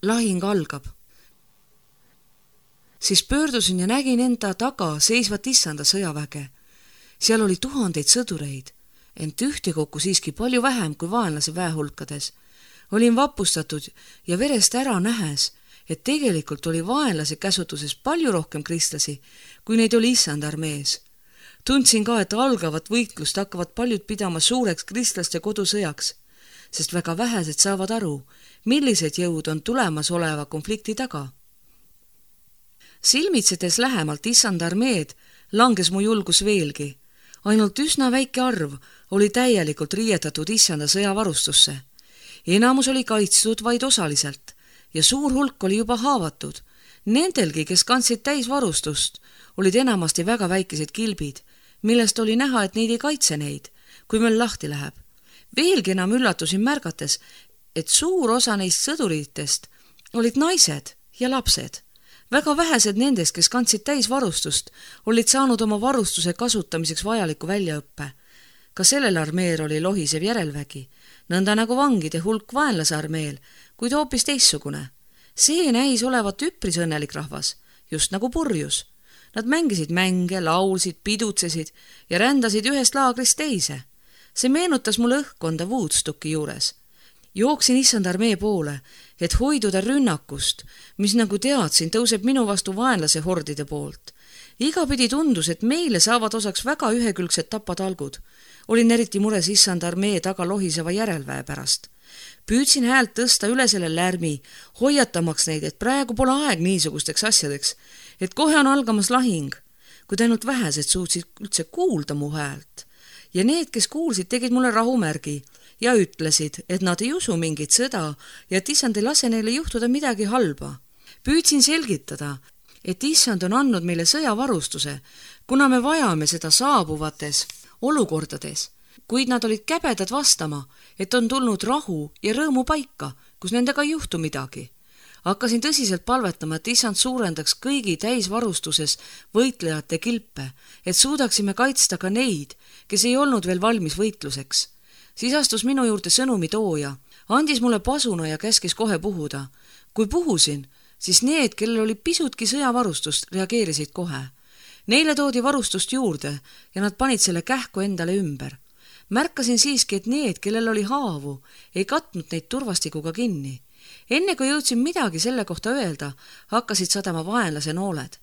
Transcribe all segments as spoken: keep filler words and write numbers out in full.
lahing algab. Siis pöördusin ja nägin enda taga seisvat issanda sõjaväge. Seal oli tuhandeid sõdureid, ent ühtekokku siiski palju vähem kui vaenlase väehulkades. Olin vapustatud ja verest ära nähes, et tegelikult oli vaenlase käsutuses palju rohkem kristlasi, kui neid oli issanda armees. Tundsin ka, et algavat võitlust hakkavad paljud pidama suureks kristlaste kodusõjaks, sest väga vähesed saavad aru, millised jõud on tulemas oleva konflikti taga. Silmitsedes lähemalt issanda armeed langes mu julgus veelgi. Ainult üsna väike arv oli täielikult riietatud issanda sõjavarustusse. Enamus oli kaitstud vaid osaliselt ja suur hulk oli juba haavatud. Nendelgi, kes kandsid täisvarustust, olid enamasti väga väikesed kilbid, millest oli näha, et neid ei kaitse neid, kui meil lahti läheb. Veelgi enam üllatusin märgates, et suur osa neist sõduritest olid naised ja lapsed. Väga vähesed nendest, kes kandsid täisvarustust, olid saanud oma varustuse kasutamiseks vajaliku väljaõppe. Ka sellel armeel oli lohisev järelvägi, nõnda nagu vangide hulk vaenlase armeel, kuid hoopis teissugune. See näis olevat üpris õnnelik rahvas, just nagu purjus. Nad mängisid mänge, laulsid, pidutsesid ja rändasid ühest laagrist teise. See meenutas mulle õhkkonda Woodstocki juures. Jooksin issand armee poole, et hoiduda rünnakust, mis nagu teadsin, tõuseb minu vastu vaenlase hordide poolt. Igapidi tundus, et meile saavad osaks väga ühekülgsed tapatalgud. Olin eriti mures issand armee taga lohiseva järelväe pärast. Püüdsin häält tõsta üle selle lärmi, hoiatamaks neid, et praegu pole aeg niisugusteks asjadeks, et kohe on algamas lahing, kuid ainult vähesed suutsid üldse kuulda mu häält. Ja need, kes kuulsid, tegid mulle rahumärgi ja ütlesid, et nad ei usu mingit sõda ja et issand ei lase neile juhtuda midagi halba. Püüdsin selgitada, et issand on andnud meile sõjavarustuse, kuna me vajame seda saabuvates olukordades, kuid nad olid käbedad vastama, et on tulnud rahu ja rõõmu paika, kus nendega ei juhtu midagi. Hakkasin tõsiselt palvetama, et issand suurendaks kõigi täisvarustuses võitlejate kilpe, et suudaksime kaitsta ka neid, kes ei olnud veel valmis võitluseks. Siis astus minu juurde sõnumi tooja, andis mulle pasuna ja käskis kohe puhuda. Kui puhusin, siis need, kellel oli pisutki sõjavarustust, reageerisid kohe. Neile toodi varustust juurde ja nad panid selle kähku endale ümber. Märkasin siiski, et need, kellel oli haavu, ei katnud neid turvastikuga kinni. Enne kui jõudsin midagi selle kohta öelda, hakkasid sadama vaenlase nooled.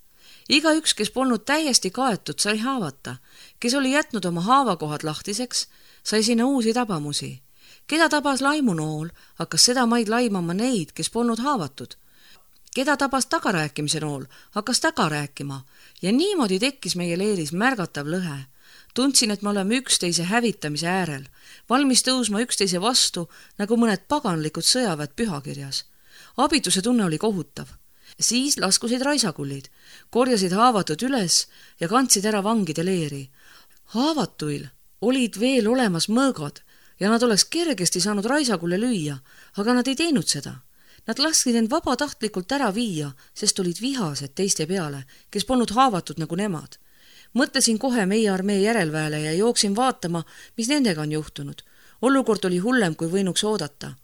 Iga üks, kes polnud täiesti kaetud, sai haavata. Kes oli jätnud oma haavakohad lahtiseks, sai sinna uusi tabamusi. Keda tabas laimunool, hakkas seda maid laimama neid, kes polnud haavatud. Keda tabas tagarääkimise nool, hakkas taga rääkima ja niimoodi tekkis meie leeris märgatav lõhe. Tundsin, et me oleme üksteise hävitamise äärel, valmis tõusma üksteise vastu, nagu mõned paganlikud sõjaväed pühakirjas. Abituse tunne oli kohutav. Siis laskusid raisakullid, korjasid haavatud üles ja kandsid ära vangide leeri. Haavatuil olid veel olemas mõõgad ja nad oleks kergesti saanud raisakulle lüüa, aga nad ei teinud seda. Nad lasksid end vabatahtlikult ära viia, sest olid vihased teiste peale, kes polnud haavatud nagu nemad. Mõtlesin kohe meie armee järelväele ja jooksin vaatama, mis nendega on juhtunud. Olukord oli hullem, kui võinuks oodata.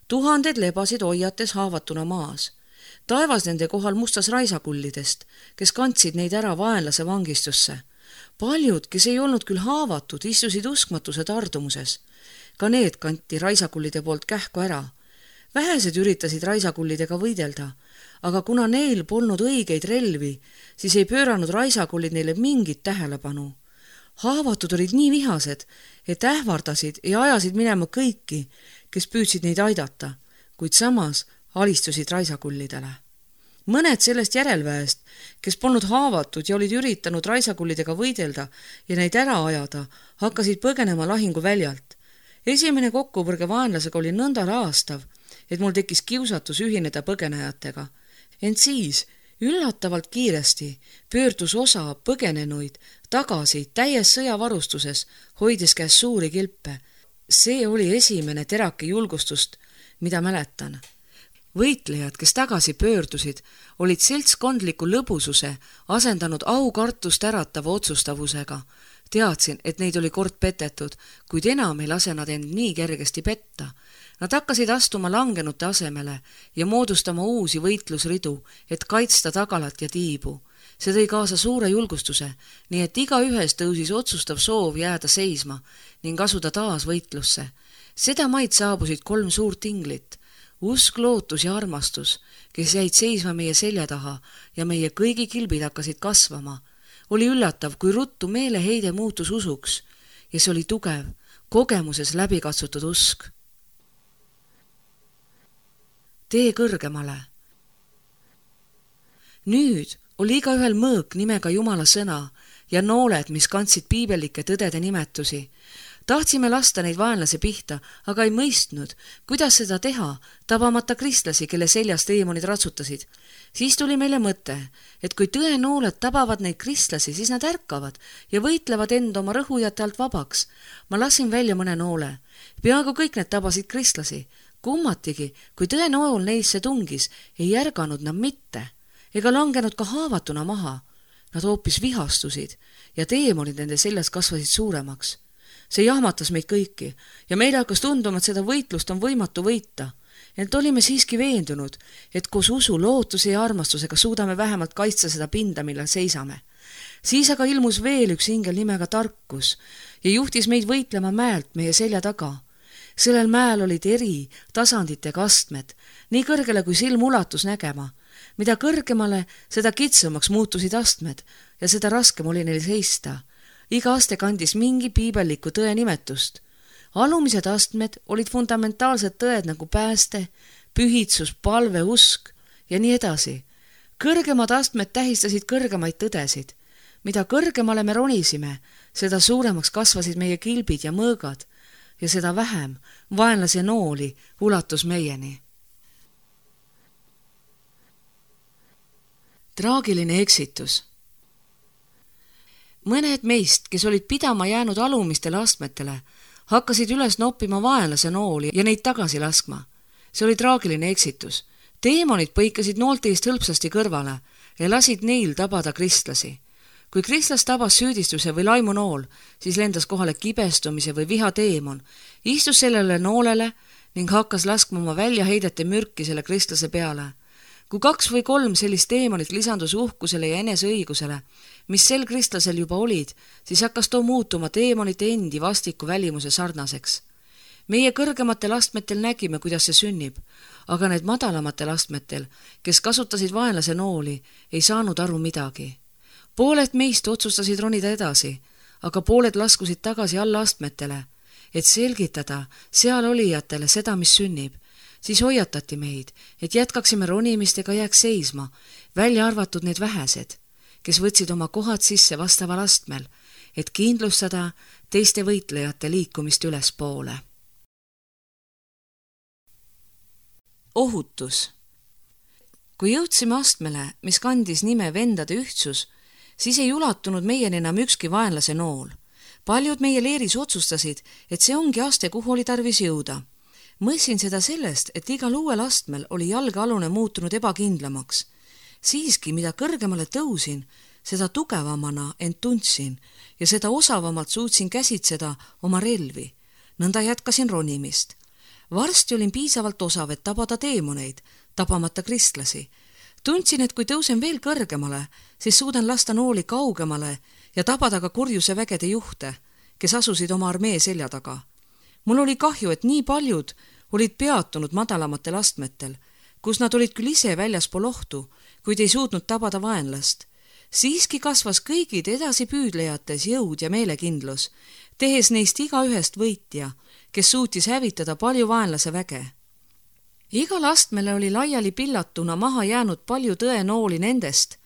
Tuhanded lebasid hoiates haavatuna maas. Taevas nende kohal mustas raisakullidest, kes kandsid neid ära vaenlase vangistusse. Paljud, kes ei olnud küll haavatud, istusid uskmatuse tardumuses. Ka need kanti raisakullide poolt kähku ära. Vähesed üritasid raisakullidega võidelda, aga kuna neil polnud õigeid relvi, siis ei pööranud raisakullid neile mingit tähelepanu. Haavatud olid nii vihased, et ähvardasid ja ajasid minema kõiki, kes püüdsid neid aidata, kuid samas alistusid raisakullidele. Mõned sellest järelväest, kes polnud haavatud ja olid üritanud raisakullidega võidelda ja neid ära ajada, hakkasid põgenema lahingu väljalt. Esimene kokkupõrge vaenlasega oli nõnda raastav, et mul tekkis kiusatus ühineda põgenejatega. Ent siis, üllatavalt kiiresti, pöördus osa põgenenuid tagasi täies sõjavarustuses, hoides käes suuri kilpe. See oli esimene terake julgustust, mida mäletan. Võitlejad, kes tagasi pöördusid, olid seltskondliku lõbususe asendanud aukartust äratava otsustavusega. Teadsin, et neid oli kord petetud, kuid enam ei lase nad end nii kergesti petta. Nad hakkasid astuma langenute asemele ja moodustama uusi võitlusridu, et kaitsta tagalat ja tiibu. See tõi kaasa suure julgustuse, nii et iga ühes tõusis otsustav soov jääda seisma ning asuda taas võitlusse. Seda maid saabusid kolm suurt inglit, usk, lootus ja armastus, kes jäid seisma meie selja taha ja meie kõigi kilbid hakkasid kasvama. Oli üllatav, kui ruttu meeleheide muutus usuks ja see oli tugev, kogemuses läbikatsutud usk. Tee kõrgemale. Nüüd oli igaühel mõõk nimega Jumala sõna ja nooled, mis kandsid piibelike tõdede nimetusi. Tahtsime lasta neid vaenlase pihta, aga ei mõistnud, kuidas seda teha, tabamata kristlasi, kelle seljas teemonid ratsutasid. Siis tuli meile mõte, et kui tõenooled tabavad neid kristlasi, siis nad ärkavad ja võitlevad end oma rõhujate alt vabaks. Ma lasin välja mõne noole. Peaaegu kõik need tabasid kristlasi. Kummatigi, kui tõenool neisse tungis, ei ärganud nad mitte, ega langenud ka haavatuna maha. Nad hoopis vihastusid ja teemonid nende seljas kasvasid suuremaks. See jahmatas meid kõiki ja meile hakkas tunduma, et seda võitlust on võimatu võita. Ent olime siiski veendunud, et koos usu, lootuse ja armastusega suudame vähemalt kaitsta seda pinda, millel seisame. Siis aga ilmus veel üks ingel nimega Tarkus ja juhtis meid võitlema mäelt meie selja taga. Sellel mäel olid eri tasanditega astmed, nii kõrgele kui silm ulatus nägema. Mida kõrgemale, seda kitsamaks muutusid astmed ja seda raskem oli neil seista. Iga aste kandis mingi piibelliku tõe nimetust. Alumised astmed olid fundamentaalsed tõed nagu pääste, pühitsus, palve, usk ja nii edasi. Kõrgemad astmed tähistasid kõrgemaid tõdesid. Mida kõrgemale me ronisime, seda suuremaks kasvasid meie kilbid ja mõõgad ja seda vähem vaenlase nooli ulatus meieni. Traagiline eksitus. Mõned meist, kes olid pidama jäänud alumistele astmetele, hakkasid üles noppima vaenlase nooli ja neid tagasi laskma. See oli traagiline eksitus. Teemonid põikasid noolte eest hõlpsasti kõrvale ja lasid neil tabada kristlasi. Kui kristlas tabas süüdistuse või laimu nool, siis lendas kohale kibestumise või viha teemon, istus sellele noolele ning hakkas laskma oma väljaheidete mürki selle kristlase peale. Kui kaks või kolm sellist teemonit lisandus uhkusele ja eneseõigusele, mis sel kristlasel juba olid, siis hakkas too muutuma teemonite endi vastiku välimuse sarnaseks. Meie kõrgematel astmetel nägime, kuidas see sünnib, aga need madalamatel astmetel, kes kasutasid vaenlase nooli, ei saanud aru midagi. Pooled meist otsustasid ronida edasi, aga pooled laskusid tagasi alla astmetele, et selgitada seal olijatele seda, mis sünnib. Siis hoiatati meid, et jätkaksime ronimist ega jääks seisma, välja arvatud need vähesed, kes võtsid oma kohad sisse vastaval astmel, et kindlustada teiste võitlejate liikumist ülespoole. Ohutus. Kui jõudsime astmele, mis kandis nime vendade ühtsus, siis ei ulatunud meieni enam ükski vaenlase nool. Paljud meie leeris otsustasid, et see ongi aste, kuhu oli tarvis jõuda. Mõissin seda sellest, et igal uuel astmel oli jalgealune muutunud ebakindlamaks. Siiski, mida kõrgemale tõusin, seda tugevamana end tundsin ja seda osavamalt suutsin käsitseda oma relvi. Nõnda jätkasin ronimist. Varsti olin piisavalt osav, et tabada teemoneid, tabamata kristlasi. Tundsin, et kui tõusen veel kõrgemale, siis suudan lasta nooli kaugemale ja tabada ka kurjuse vägede juhte, kes asusid oma armee selja taga. Mul oli kahju, et nii paljud olid peatunud madalamatel astmetel, kus nad olid küll ise väljaspool ohtu, kuid ei suutnud tabada vaenlast. Siiski kasvas kõigid edasipüüdlejates jõud ja meelekindlus, tehes neist iga ühest võitja, kes suutis hävitada palju vaenlase väge. Igal astmele oli laiali pillatuna maha jäänud palju tõenooli nendest,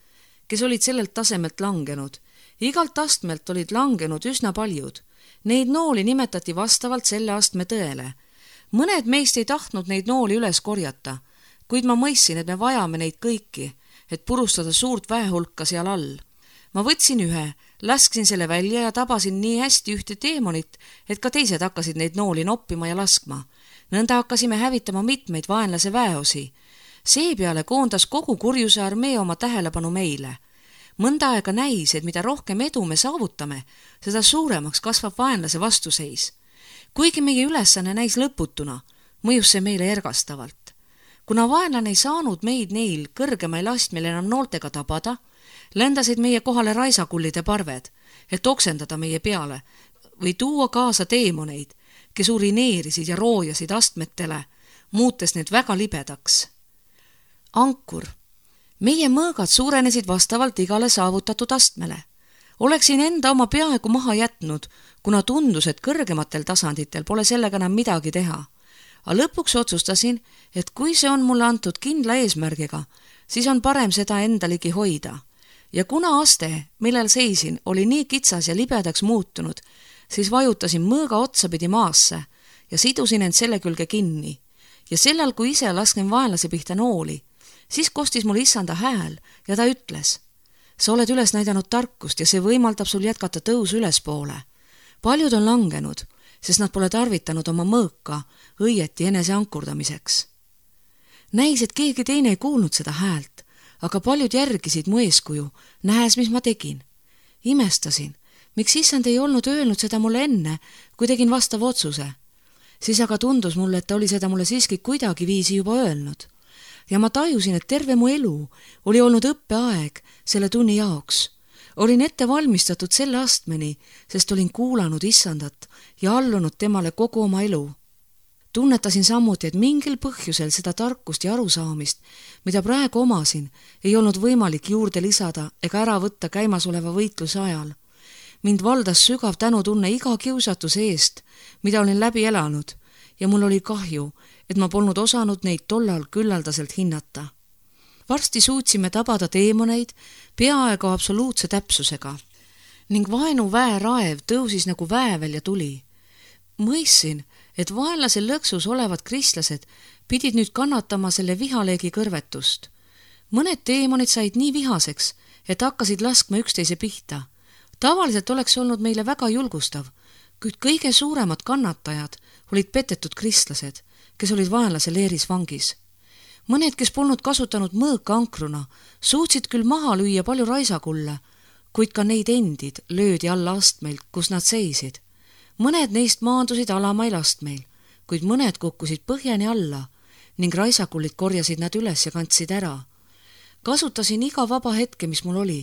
kes olid sellelt tasemelt langenud. Igalt astmelt olid langenud üsna paljud. Neid nooli nimetati vastavalt selle astme tõele. Mõned meist ei tahtnud neid nooli üles korjata, kuid ma mõistsin, et me vajame neid kõiki, et purustada suurt väehulka seal all. Ma võtsin ühe, lasksin selle välja ja tabasin nii hästi ühte teemonit, et ka teised hakkasid neid nooli noppima ja laskma. Nõnda hakkasime hävitama mitmeid vaenlase väeosi. Seepeale koondas kogu kurjuse armee oma tähelepanu meile. Mõnda aega näis, et mida rohkem edu me saavutame, seda suuremaks kasvab vaenlase vastuseis. Kuigi meie ülesanne näis lõputuna, mõjus see meile ergastavalt. Kuna vaenlane ei saanud meid neil kõrgemail astmel enam nooltega tabada, ländasid meie kohale raisakullide parved, et oksendada meie peale või tuua kaasa teemoneid, kes urineerisid ja roojasid astmetele, muutes need väga libedaks. Ankur. Meie mõõgad suurenesid vastavalt igale saavutatud astmele. Oleksin enda oma peaaegu maha jätnud, kuna tundus, et kõrgematel tasanditel pole sellega enam midagi teha. Aga lõpuks otsustasin, et kui see on mulle antud kindla eesmärgiga, siis on parem seda enda ligi hoida. Ja kuna aste, millel seisin, oli nii kitsas ja libedaks muutunud, siis vajutasin mõõga otsapidi maasse ja sidusin end selle külge kinni. Ja sellel, kui ise lasken vaenlase pihta nooli, siis kostis mul issanda hääl ja ta ütles: sa oled üles näidanud tarkust ja see võimaldab sul jätkata tõusu ülespoole. Paljud on langenud, sest nad pole tarvitanud oma mõõka õieti enese ankurdamiseks. Näis, et keegi teine ei kuulnud seda häält, aga paljud järgisid mu eeskuju, nähes, mis ma tegin. Imestasin, miks issand ei olnud öelnud seda mulle enne, kui tegin vastava otsuse. Siis aga tundus mulle, et ta oli seda mulle siiski kuidagi viisi juba öelnud. Ja ma tajusin, et terve mu elu oli olnud õppeaeg selle tunni jaoks. Olin ette valmistatud selle astmeni, sest olin kuulanud issandat ja allunud temale kogu oma elu. Tunnetasin samuti, et mingil põhjusel seda tarkust ja arusaamist, mida praegu omasin, ei olnud võimalik juurde lisada ega ära võtta käimasoleva võitluse ajal. Mind valdas sügav tänutunne iga kiusatuse eest, mida olin läbi elanud, ja mul oli kahju, et ma polnud osanud neid tollal küllaldaselt hinnata. Varsti suutsime tabada teemoneid peaaegu absoluutse täpsusega ning vaenu väeraev tõusis nagu väävel ja tuli. Mõissin, et vaenlase lõksus olevad kristlased pidid nüüd kannatama selle vihaleegi kõrvetust. Mõned teemonid said nii vihaseks, et hakkasid laskma üksteise pihta. Tavaliselt oleks olnud meile väga julgustav, kuid kõige suuremad kannatajad olid petetud kristlased, kes olid vaenlase leeris vangis. Mõned, kes polnud kasutanud mõõka ankruna, suutsid küll maha lüüa palju raisakulle, kuid ka neid endid löödi alla astmeil, kus nad seisid. Mõned neist maandusid alamail astmeil, kuid mõned kukkusid põhjani alla ning raisakullid korjasid nad üles ja kandsid ära. Kasutasin iga vaba hetke, mis mul oli,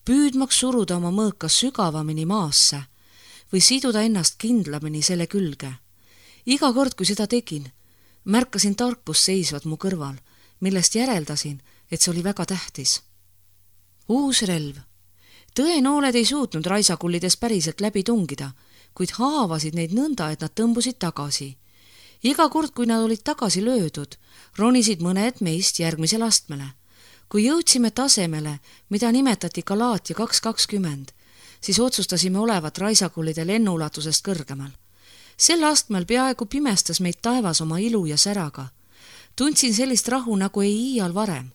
püüdmaks suruda oma mõõka sügavamini maasse või siduda ennast kindlamini selle külge. Iga kord, kui seda tegin, märkasin tarkust seisvad mu kõrval, millest järeldasin, et see oli väga tähtis. Uus relv. Tõenooled ei suutnud raisakullides päriselt läbi tungida, kuid haavasid neid nõnda, et nad tõmbusid tagasi. Iga kord, kui nad olid tagasi löödud, ronisid mõned meist järgmisel astmele. Kui jõudsime tasemele, mida nimetati Galaatia kaks kakskümmend, siis otsustasime olevat raisakullide lennuulatusest kõrgemal. Sel astmel peaaegu pimestas meid taevas oma ilu ja säraga. Tundsin sellist rahu, nagu ei iial varem.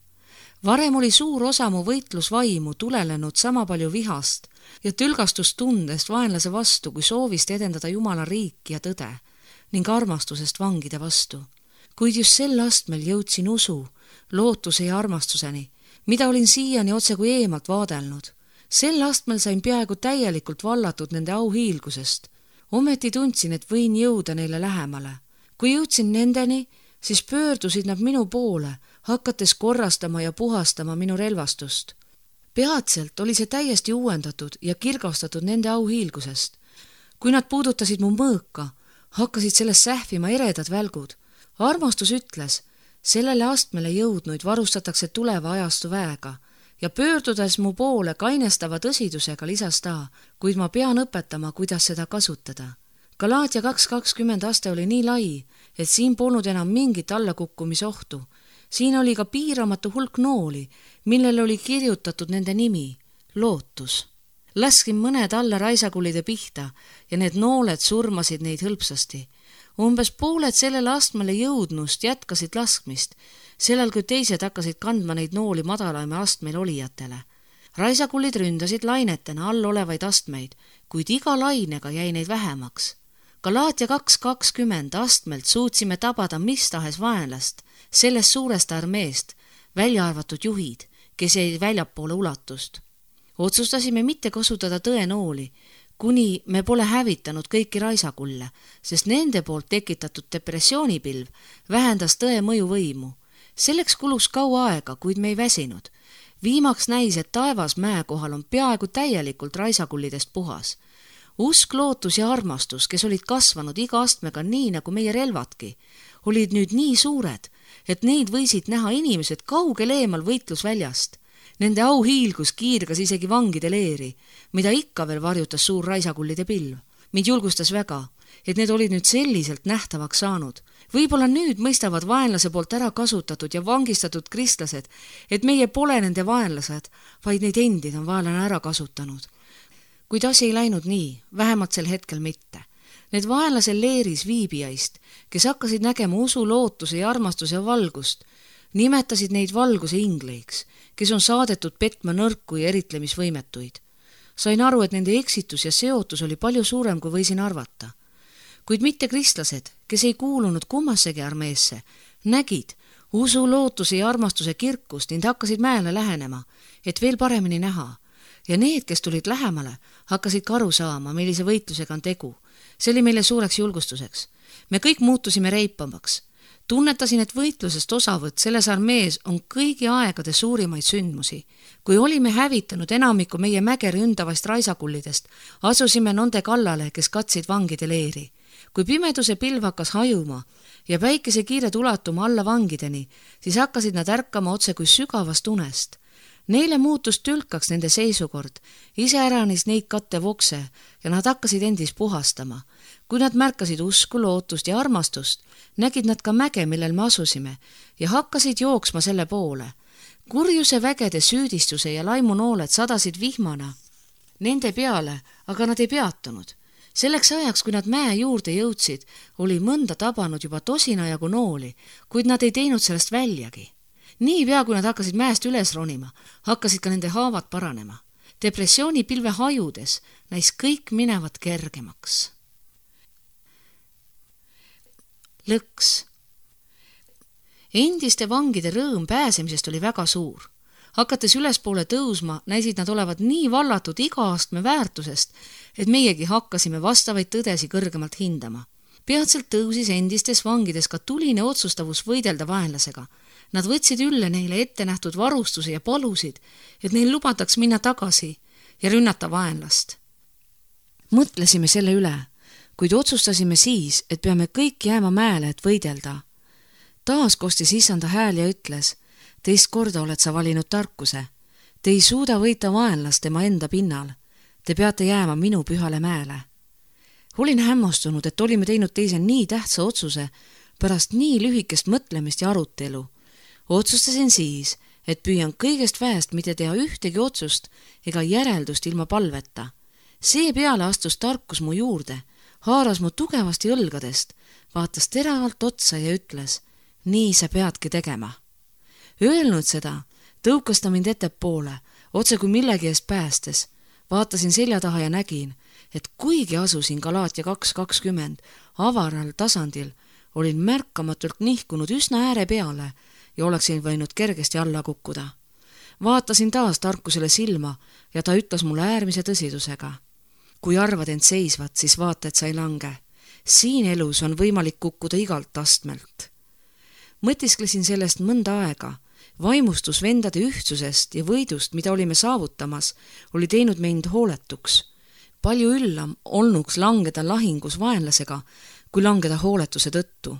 Varem oli suur osa mu võitlusvaimu tulelenud sama palju vihast ja tülgastustundest vaenlase vastu, kui soovist edendada Jumala riiki ja tõde ning armastusest vangide vastu. Kuid just sel astmel jõudsin usu, lootuse ja armastuseni, mida olin siiani otse kui eemalt vaadelnud. Sel astmel sain peaaegu täielikult vallatud nende auhiilgusest. Ometi tundsin, et võin jõuda neile lähemale. Kui jõudsin nendeni, siis pöördusid nad minu poole, hakates korrastama ja puhastama minu relvastust. Peatselt oli see täiesti uuendatud ja kirgastatud nende auhiilgusest. Kui nad puudutasid mu mõõka, hakkasid sellest sähvima eredad välgud. Armastus ütles, sellele astmele jõudnuid varustatakse tuleva ajastu väega ja pöördudes mu poole kainestava tõsidusega lisas ta, kuid ma pean õpetama, kuidas seda kasutada. Galaatia kaks kakskümmend aste oli nii lai, et siin polnud enam mingit allakukkumisohtu. Siin oli ka piiramatu hulk nooli, millele oli kirjutatud nende nimi, lootus. Laskin mõned alla raisakullide pihta ja need nooled surmasid neid hõlpsasti. Umbes pooled sellele astmele jõudnust jätkasid laskmist, sellel kui teised hakkasid kandma neid nooli madalaime astmeil olijatele. Raisakullid ründasid lainetena all olevaid astmeid, kuid iga lainega jäi neid vähemaks. Galaatia kaks kakskümmend astmelt suutsime tabada mis tahes vaenlast, sellest suurest armeest, välja arvatud juhid, kes jäid väljapoole ulatust. Otsustasime mitte kasutada tõenooli, kuni me pole hävitanud kõiki raisakulle, sest nende poolt tekitatud depressioonipilv vähendas tõe mõjuvõimu. Selleks kulus kaua aega, kuid me ei väsinud. Viimaks näis, et taevas mäe kohal on peaaegu täielikult raisakullidest puhas. Usk, lootus ja armastus, kes olid kasvanud iga astmega nii nagu meie relvadki, olid nüüd nii suured, et neid võisid näha inimesed kaugel eemal võitlusväljast. Nende au hiilgus kiirgas isegi vangide leeri, mida ikka veel varjutas suur raisakullide pilv. Mind julgustas väga, et need olid nüüd selliselt nähtavaks saanud. Võib-olla nüüd mõistavad vaenlase poolt ära kasutatud ja vangistatud kristlased, et meie pole nende vaenlased, vaid neid endid on vaenlane ära kasutanud. Kuid asi ei läinud nii, vähemalt sel hetkel mitte. Need vaenlase leeris viibijaist, kes hakkasid nägema usu, lootuse ja armastuse valgust, nimetasid neid valguse ingleiks, kes on saadetud petma nõrku ja eritlemisvõimetuid. Sain aru, et nende eksitus ja seotus oli palju suurem, kui võisin arvata. Kuid mitte kristlased, kes ei kuulunud kummassegi armeesse, nägid usu, lootuse ja armastuse kirkust ning hakkasid mäele lähenema, et veel paremini näha. Ja need, kes tulid lähemale, hakkasid ka aru saama, millise võitlusega on tegu. See oli meile suureks julgustuseks. Me kõik muutusime reipamaks. Tunnetasin, et võitlusest osavõtt selles armees on kõigi aegade suurimaid sündmusi. Kui olime hävitanud enamiku meie mäge ründavast raisakullidest, asusime nende kallale, kes katsid vangide leeri. Kui pimeduse pilv hakkas hajuma ja päikese kiired ulatuma alla vangideni, siis hakkasid nad ärkama otse kui sügavast unest. Neile muutus tülkaks nende seisukord, iseäranis neid kattev okse ja nad hakkasid endis puhastama. Kui nad märkasid usku, lootust ja armastust, nägid nad ka mäge, millel me asusime ja hakkasid jooksma selle poole. Kurjuse vägede süüdistuse ja laimunooled sadasid vihmana nende peale, aga nad ei peatunud. Selleks ajaks, kui nad mäe juurde jõudsid, oli mõnda tabanud juba tosina jagu nooli, kuid nad ei teinud sellest väljagi. Niipea, kui nad hakkasid mäest üles ronima, hakkasid ka nende haavad paranema. Depressioonipilve hajudes näis kõik minevat kergemaks. Lõks. Endiste vangide rõõm pääsemisest oli väga suur. Hakates ülespoole tõusma, näisid nad olevat nii vallatud iga astme väärtusest, et meiegi hakkasime vastavaid tõdesi kõrgemalt hindama. Peatselt tõusis endistes vangides ka tuline otsustavus võidelda vaenlasega. Nad võtsid ülle neile ette nähtud varustuse ja palusid, et neil lubataks minna tagasi ja rünnata vaenlast. Mõtlesime selle üle, kuid otsustasime siis, et peame kõik jääma mäele, et võidelda. Taas kostis issanda hääl ja ütles, teist korda oled sa valinud tarkuse. Te ei suuda võita vaenlast tema enda pinnal. Te peate jääma minu pühale mäele. Olin hämmastunud, et olime teinud teise nii tähtsa otsuse pärast nii lühikest mõtlemist ja arutelu. Otsustasin siis, et püüan kõigest väest mitte teha ühtegi otsust ega järeldust ilma palveta. Seepeale astus tarkus mu juurde, haaras mu tugevasti õlgadest, vaatas teravalt otsa ja ütles, nii sa peadki tegema. Öelnud seda, tõukas ta mind ettepoole, otse kui millegi eest päästes. Vaatasin selja taha ja nägin, et kuigi asusin Galaatia kaks kakskümmend avaral tasandil, olin märkamatult nihkunud üsna ääre peale ja oleksin võinud kergesti alla kukkuda. Vaatasin taas tarkusele silma ja ta ütles mulle äärmise tõsidusega. Kui arvad end seisvat, siis vaata, et sa ei lange. Siin elus on võimalik kukkuda igalt astmelt. Mõtisklesin sellest mõnda aega. Vaimustus vendade ühtsusest ja võidust, mida olime saavutamas, oli teinud meid hooletuks. Palju üllam olnuks langeda lahingus vaenlasega, kui langeda hooletuse tõttu.